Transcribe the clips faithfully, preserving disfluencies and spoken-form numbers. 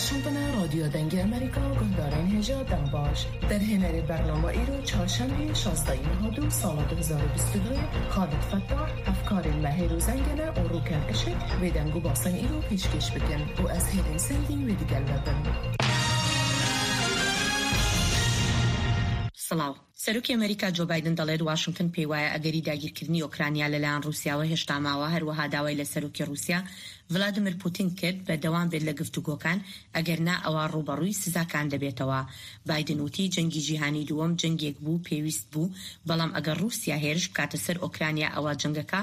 Şûbina Radyo Dengê Amerîka, guhdarên hêja dem baş. Derhênerê bernama îro çarşemê şazdehê meha du sala du hezar û bîst û duyê Xalid Fettah, hevkarên me Hêro Zengene û Rûken Işik vê deng û basên îro pêşkêş bikin û ez Hêrên Sendî wê digel me bin. سڵاو. سەرۆکی ئەمریکا جۆ بایدن دەڵێت واشنگتن پێی وایە ئەگەری داگیرکردنی ئۆکرانیا لەلایەن ڕووسیاوە هێشتا ماوە، هەروەها داوای لە سەرۆکی ڕووسیا ڤلادیمیر پوتین کرد بەردەوام بێت لە گفتوگۆکان، ئەگەر نا ئەوا ڕووبەڕووی سزاکان دەبێتەوە. بایدن وتی جەنگی جیهانی دووەم جەنگێک بوو پێویست بوو، بەڵام ئەگەر ڕووسیا هێرش بکاتە سەر ئۆکرانیا ئەوا جەنگەکە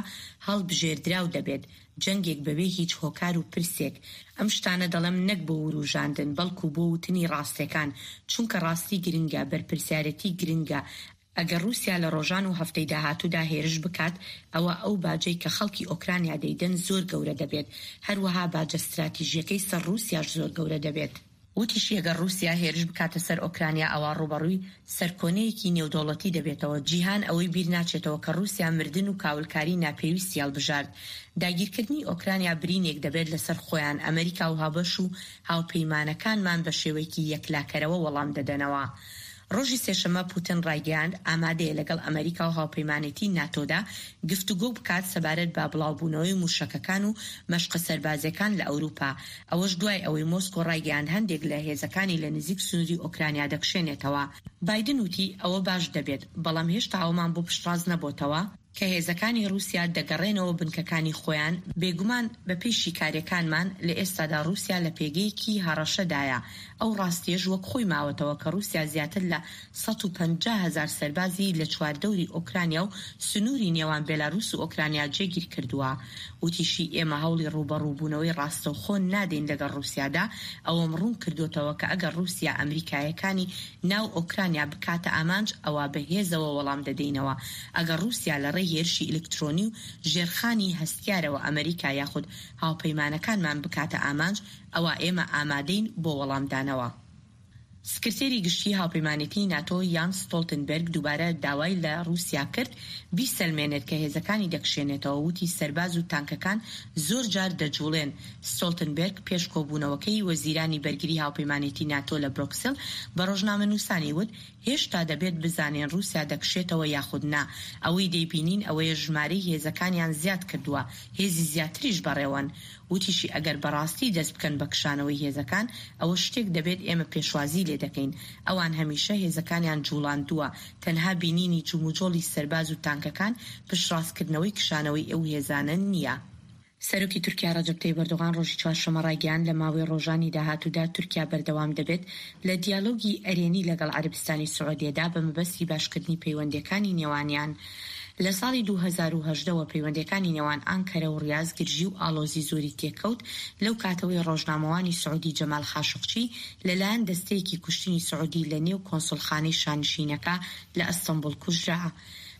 هەڵبژێردراو دەبێت، جەنگێک بەبێ هیچ هۆکار و پرسێک. ئەم شتانە دەڵێم نەک بۆ وروژاندن، بەڵکو بۆ وتنی ڕاستیەکان، چونکە ڕاستی گرنگە، بەرپرسیارەتی گرنگە. ئەگەر ڕووسیا لە ڕۆژان و هەفتەی داهاتوودا هێرش بکات، ئەوە ئەو باجەی کە خەڵکی ئۆکرانیا دەیدەن زۆر گەورە دەبێت، هەروەها باجە استراتیژیەکەی سەر ڕووسیاش زۆر گەورە دەبێت. وتیشی ئەگەر ڕووسیا هێرش بکاتە سەر ئۆکرانیا، ئەوا ڕووبەڕووی سەرکۆنەیەکی نێودەوڵەتی دەبێتەوە. جیهان ئەوەی بیر ناچێتەوە کە ڕووسیا مردن و کاولکاری ناپێویستی هەڵبژارد. داگیرکردنی ئۆکرانیا برینێک دەبێت لەسەر خۆیان. ئەمریکا و هابەش و هاوپەیمانەکانمان بە شێوەیەکی یەکلاکەرەوە وەڵام دەدەنەوە. ڕۆژی سێشەممە پوتن ڕایگەیاند ئامادەیە لەگەڵ ئەمریکا و هاوپەیمانێتی ناتۆدا گفتوگۆ بکات سەبارەت بە بڵاوبوونەوەی موشەکەکان و مەشقە سەربازیەکان لە ئەوروپا. ئەوەش دوای ئەوەی مۆسکۆ ڕایگەیاند هەندێک لە هێزەکانی لە نزیک سنووری ئۆکرانیا دەکشێنێتەوە. بایدن وتی ئەوە باش دەبێت، بەڵام هێشتا ئەومان بۆ پشتڕاست نەبۆتەوە کە هێزەکانی ڕووسیا دەگەڕێنەوە بنکەکانی خۆیان. بێگومان بە پێی شیکاریەکانمان لە ئێستادا ڕووسیا لە پێگەیەکی هەڕەشەدایە. ئەو ڕاستیەش وەک خۆی ماوەتەوە کە ڕووسیا زیاتر لە سەد و پەنجا هەزار سەربازی لە چواردەوری ئۆکرانیا و سنووری نێوان بێلاروس و ئۆکرانیا جێگیر کردووە. وتیشی ئێمە هەوڵی ڕووبەڕووبوونەوەی ڕاستەوخۆ نادەین لەگەڵ ڕووسیادا، ئەوەم ڕوون کردوتەوە کە ئەگەر ڕووسیا ئەمریکایەکانی ناو ئۆکرانیا بکاتە ئامانج، ئەوا بەهێزەوە وەڵام دەدەینەوە. ئەگەر ڕووسیا لە ڕێی هێرشی ئەلکترۆنی و ژێرخانی هەستیارەوە ئەمریکا یاخود هاوپەیمانەکانمان بکاتە ئامانج، ئەوا ئێمە ئامادەین بۆ وەڵامدانەوە. سکرتێری گشتی هاوپەیمانێتی ناتۆ یانس ستۆلتنبرگ دووبارە داوای لە ڕووسیا کرد بیسەلمێنێت کە هێزەکانی دەکشێنێتەوە. وتی سەرباز و تانکەکان زۆر جار دەجوڵێن. ستۆلتنبرگ پێش کۆبوونەوەکەی وەزیرانی بەرگری هاوپەیمانێتی ناتۆ لە برۆکسل بە ڕۆژنامە نووسانی وت هێشتا دەبێت بزانین ڕووسیا دەکشێتەوە یاخود نا. ئەوەی دەیبینین ئەوەیە ژمارەی هێزەکانیان زیاد کردووە، هێزی زیاتریش بەڕێوەن. وتیشی ئەگەر بەڕاستی دەست بکەن بە کشانەوەی هێزەکان، ئەوە شتێک دەبێت ئێمە پێشوازی لێ دەکەین. ئەوان هەمیشە هێزەکانیان جوڵاندووە، تەنها بینینی جموجۆڵی سەرباز و تانکەکان پشتڕاستکردنەوەی کشانەوەی ئەو هێزانە نییە. سەرۆکی تورکیا ڕەجەب تەیب ئەردۆغان ڕۆژی چوارشەممە ڕایگەیاند لە ماوەی ڕۆژانی داهاتوودا تورکیا بەردەوام دەبێت لە دیالۆگی ئەرێنی لەگەڵ عەرەبستانی سعودیەدا بە مەبەستی باشکردنی پەیوەندیەکانی نێوانیان. لە ساڵی دوو هەزار و هەژدە وە پەیوەندیەکانی نێوان ئانکەرە و ڕیاز گرژی و ئاڵۆزی زۆری تێکەوت، لەو کاتەوەی ڕۆژنامەوانی سعودی جەمال خاشقچی لەلایەن دەستەیەکی کوشتنی سعودی لە نێو کۆنسولخانەی شانشینەکە لە ئەستەنبول کوژرا.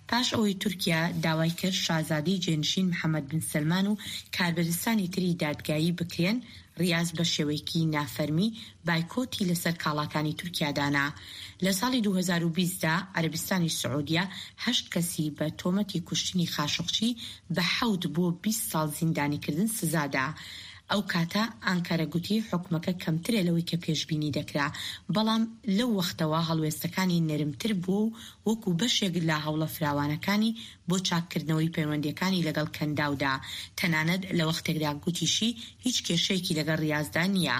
پاش ئەوەی تورکیا داوای کرد شازادەی جێنشین محەممەد بن سەلمان و کاربەرستانی تری دادگایی بکرێن، ڕیاز بە شێوەیەکی نافەرمی بایکۆتی لەسەر کاڵاکانی تورکیا دانا. لە ساڵی دوو هەزار و بیست دا عەرەبستانی سعودیە هەشت کەسی بە تۆمەتی کوشتنی خاشقچی بە حەوت بۆ بیست ساڵ زیندانیکردن سزادا. ئەو کاتە ئانکەرە گوتی حکومەکە کەمترە لەوەی کە پێشبینی دەکرا، بەڵام لەو وەختەوە هەڵوێستەکانی نەرمتر بووە و وەکو بەشێک لە هەوڵە فراوانەکانی بۆ چاککردنەوەی پەیوەندیەکانی لەگەڵ کەنداودا. تەنانەت لە وەختێکدا گوتیشی هیچ کێشەیەکی لەگەڵ ڕیازدا نییە.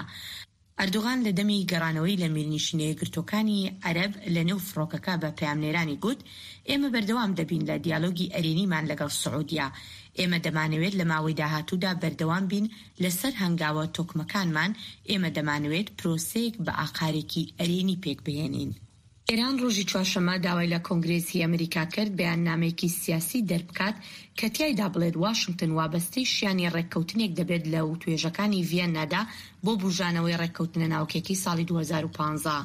ئەردۆغان لە دەمی گەڕانەوەی لە میرنیشینە یەکگرتووەکانی عەرەب لە نێو فڕۆکەکە بە پەیامنێرانی گوت ئێمە بەردەوام دەبین لە دیالۆگی ئەرێنیمان لەگەڵ سعودیە. ئێمە دەمانەوێت لە ماوەی داهاتوودا بەردەوام بین لەسەر هەنگاوە تۆکمەکانمان. ئێمە دەمانەوێت پرۆسەیەک بە ئاقارێکی ئەرێنی پێک بهێنین. ئێران ڕۆژی چوارشەممە داوای لە کۆنگرێسی ئەمریکا کرد بەیاننامەیەکی سیاسی دەربکات کە تیایدا بڵێت واشنگتن وابەستەی شیانی ڕێککەوتنێک دەبێت لە وتوێژەکانی ڤیەننادا بۆ بوژانەوەی ڕێککەوتنە ناوکێکی ساڵی دوو هەزار و پازدە.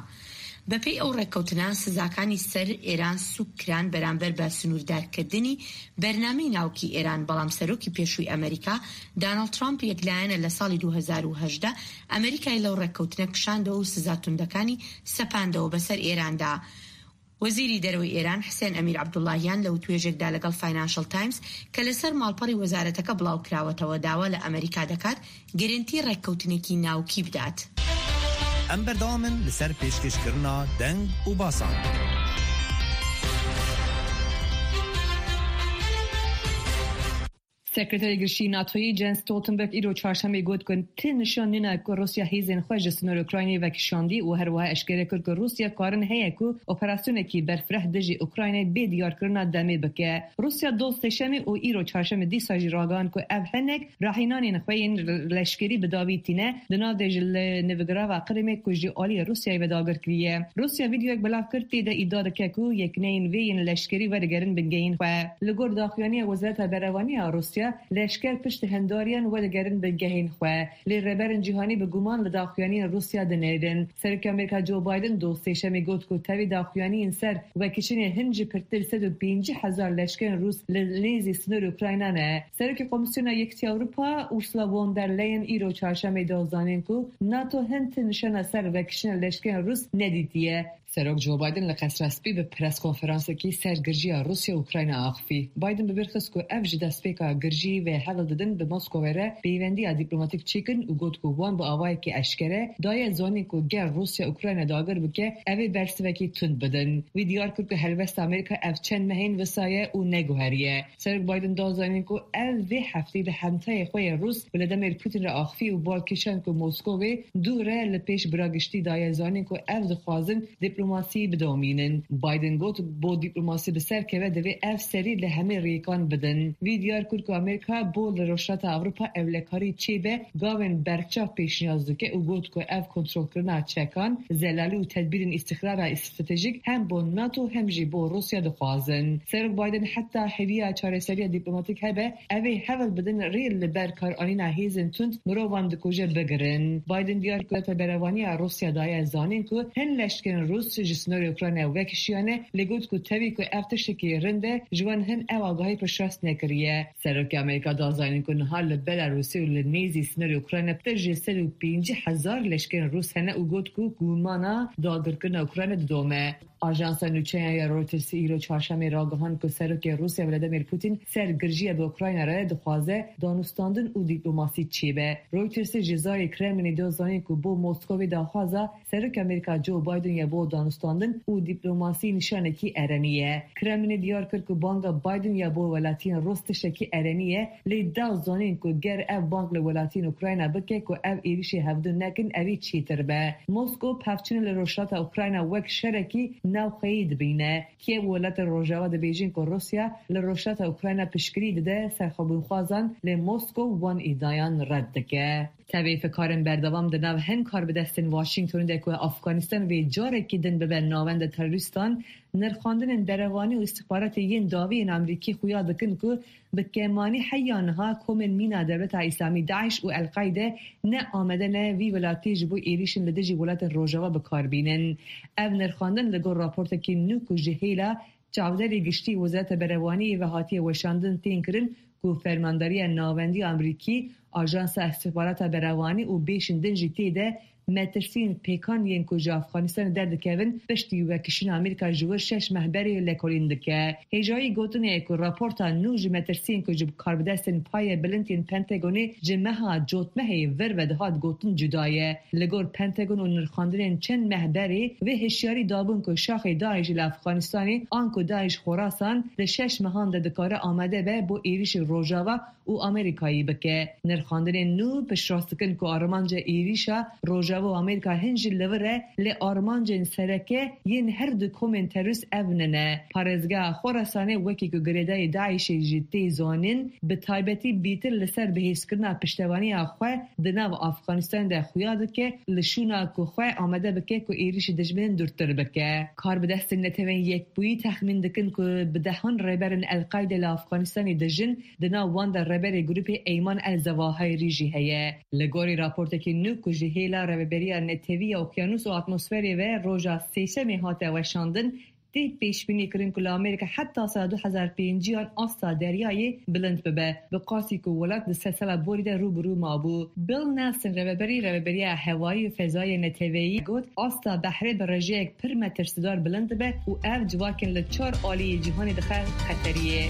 بەپێی ئەو ڕێککەوتنە سزاکانی سەر ئێران سوک کران بەرامبەر بە سنووردارکردنی بەرنامەی ناوکی ئێران، بەڵام سەرۆکی پێشووی ئەمریکا داناڵد ترامپ یەکلایەنە لە ساڵی دوو هەزار و هەژدە ئەمریکای لەو ڕێککەوتنە کشاندەوە و سزا توندەکانی سەپاندەوە بەسەر ئێراندا. وەزیری دەرەوەی ئێران حسێن ئەمیر عەبدوڵڵاهیان لە وتوێژێکدا لەگەڵ فاینانشڵ تایمز کە لەسەر ماڵپەڕی وەزارەتەکە بڵاو کراوەتەوە داوا لە ئەمریکا دەکات گرنتی ڕێککەوتنێکی ناوکی بدات. Em berdewam in li ser pêşkêşkirina deng û basan. Sekreterê Girişî NATOyê Jens Stoltenberg îro çarşemê got ku ti nişan nîne ku Rûsya hêzên xwe ji sînorê Ukraynayê vekişandî û her wiha eşkere kir ku Rûsya karin heye ku operasyonekî berfireh dijî Ukraynayê bê diyarkirina demê bike. Rûsya doz sêşemê û îro çarşemê dîsa jî ragihand ku ev hinek rahînanên xwe yên leşkerî bi dawî tîne, di nav de jî li nivgirava Qrimê ku ji aliyê Rûsyayê ve dagir kiriye. Rûsya vîdeoyek belav kir, tê de îdia dike ku yekneyên vê yên leşkerî wedigerin bingehên xwe. Li gor daxuyaniya Wezareta Berevanî ya Rûsya, leşker pişt hindariyan wedigerin bingehên xwe. Lê rêberên cîhanî bi guman li daxuyaniyên Rûsya dinêrin. Serokê Amerîka Joe Biden doz sêşemê got ku tevî daxuyaniyên ser vekişînê hin jî pirtir sed û pêncî hezar leşkerên Rûs li nêzî sînorê Ukrayna ne. Serokê Komîsyona Yekîtiya Ewropa Ursula von der Leyen îro çarşemê da zanîn ku NATO hin ti nişana ser vekişîna leşkerên Rûs nedîtiye. Serok Joe Biden li Qesra Spî bi preskonferansekî ser girjiya Rûsya û Ukrayna axifî. Biden bi bîr xist ku ev ji destpêka girjî ve hewl didin bi Moskowê re peyvendiya dîplomatîk çêkin û got ku wan bi awayekî eşkere daye zanîn ku ger Rûsya Ukrayna dagir bike, ev ê bersivekî tund bidin. Wî diyar kir ku helwesta Amerîka ev çend mehên wisa ye û neguheriye. Serok Biden da zanîn ku ev vê hefteyê di hemtayê xwe yê Rûs Vladimir Putin re axifî û bal kişand ku Moskowê dûr e li pêş bira giştî daye zanîn ku ev dixwazin dîplomasî bidomînin. Biden got, bo dîplomasî bi ser keve divê ev serî li hemî rêkan bidin. Vî diyar kir ku Amerîka bo li Rojhilata Ewropa ewlekarî çêbe gavên berçav pêşniyaz dike û got ku ev kontrolkirina çekan, zelalî û tedbîrên îstixrara stratejîk hem bo NATO hem jî bo Rûsya dixwazin. Serok Biden heta hêviya çareseriya dîplomatîk hebe, ev ê hewl bidin rê li ber karanîna hêzên tund mirovan dikuje bigirin. Biden diyar kir ku berevanî ya Rûsya daye zanîn ku hin leşkerên Rûs ji sînorê Ukraynayê vekişiyane, lê got ku tevî ku ev tiştekî rind e, ji wan hin ev agahî piştrast nekiriye. Serokê Amerîka da zanîn ku niha li Belarusê û li nêzî sînorê Ukrayna pir ji sed û pêncî hezar leşkerên Rûs hene û got ku gumana dagirkirina Ukrayna didome. Ajansa nûçeyan ya Reuters îro çarşemê ragihand ku Serokê Rûsya Vladimir Putin ser girjiya bi Ukrayna re dixwaze danûstandin û dîplomasî çêbe. Reuters ji zarê Kremlinê da zanîn ku bo Moskowê daxwaza Serokê Amerîka Joe Biden ya bo danûstandin û dîplomasî nîşanekî erenî ye. Kremlinê diyar kir ku banga Biden ya bo welatiyên Rûs tiştekî erenî ye, lê da zanîn ku ger ev bang li welatiyên Ukrayna bike ku ev êrîşê hevdû nekin, ev ê çêtir be. Moskow pevçûnê li Rojhilata Ukrayna wek şerekî navxweyî dibîne. Kiev û welatên Rojava dibêjin ku Rûsya li Rojhilata Ukrayna piştgirî dide serxwebûnxwazan, lê Moskow wan îdiayan red dike. Tevî fikarên berdewam di nav hin karbidestên Washingtonê de ku Afganistan vê carekî din bibe navenda terorîstan, nirxandinên berevanî û îstixbaratê yên dawî yên Amerîkî xuya dikin ku bi kemanî heya niha komên mîna Dewleta Îslamî DAIŞ û El-Qaîde ne amade ne vî welatî ji bo êrîşên li dijî welatên Rojava bi kar bînin. Ev nirxandin li gor raportekî nû ku ji hêla çavdêrê giştî Wezareta Berevaniyê ve hatiye weşandin tên kirin ku Fermandariya Navendî ya Amerîkî, Ajansa Îstixbarata Berevanî û bêşên din jî tê de metirsiyên pêkan yên ku ji Afganistanê derdikevin, piştî wekişîna Amerîka ji wir şeş meh berê lekolîn dike. Hêjayî gotinê ye ku raporta nû ji metirsiyên ku ji karbidestên paye bilind yên Pentagonê ji meha cotmehê vir ve dihat gotin cuda ye. Li gor Pentagon û nirxandinên çend meh berê, vê hişyarî dabûn ku şaxê DAIŞ li Afganistanê, anku DAIŞ Xorasan, di şeş mehan de dikare amade be bo êrîşê Rojava û Amerîkayê bike. Nirxandinên nû piştrast dikin ku armanca êrîşa Rojava û Amerîka hin jî li vir e, lê armancên sereke yên her du komên terorîst ev nine. Parêzgeha Xorasanê wekî ku girêdayî DAIŞê jî tê zanîn, bi taybetî bêtir li ser bihêzkirina piştevaniya xwe di nav Afganistanê de xuya dike, li şûna ku xwe amade bike ku êrîşî dijminên dûrtir bike. Karbidestên Netewên Yekbûyî texmîn dikin ku bi dehan rêberên El-Qaîde li Afganistanê dijin, di nav wan de rêberê grûpê Eyman El Zewahirî jî heye. Li gorî raportekî nû ku ji hêla Rêveberiya Netewî ya Okyanûs û Atmosferê ve roja sêşemê hate weşandin, tê pêşbînî kirin ku li Amerîka heta sala du hezar pêncî asta deryayê bilind bibe, bi qasî ku welat di sed sala borî de rû bi rû mabû. Bill Nelson, rêveberî Rêveberiya Hewayî û Fezayê Neteweyî, got, asta behrê bi rêjeyek pir metirsîdar bilind dibe û ev civakên li çar aliyê cîhanê dixe xeteriyê.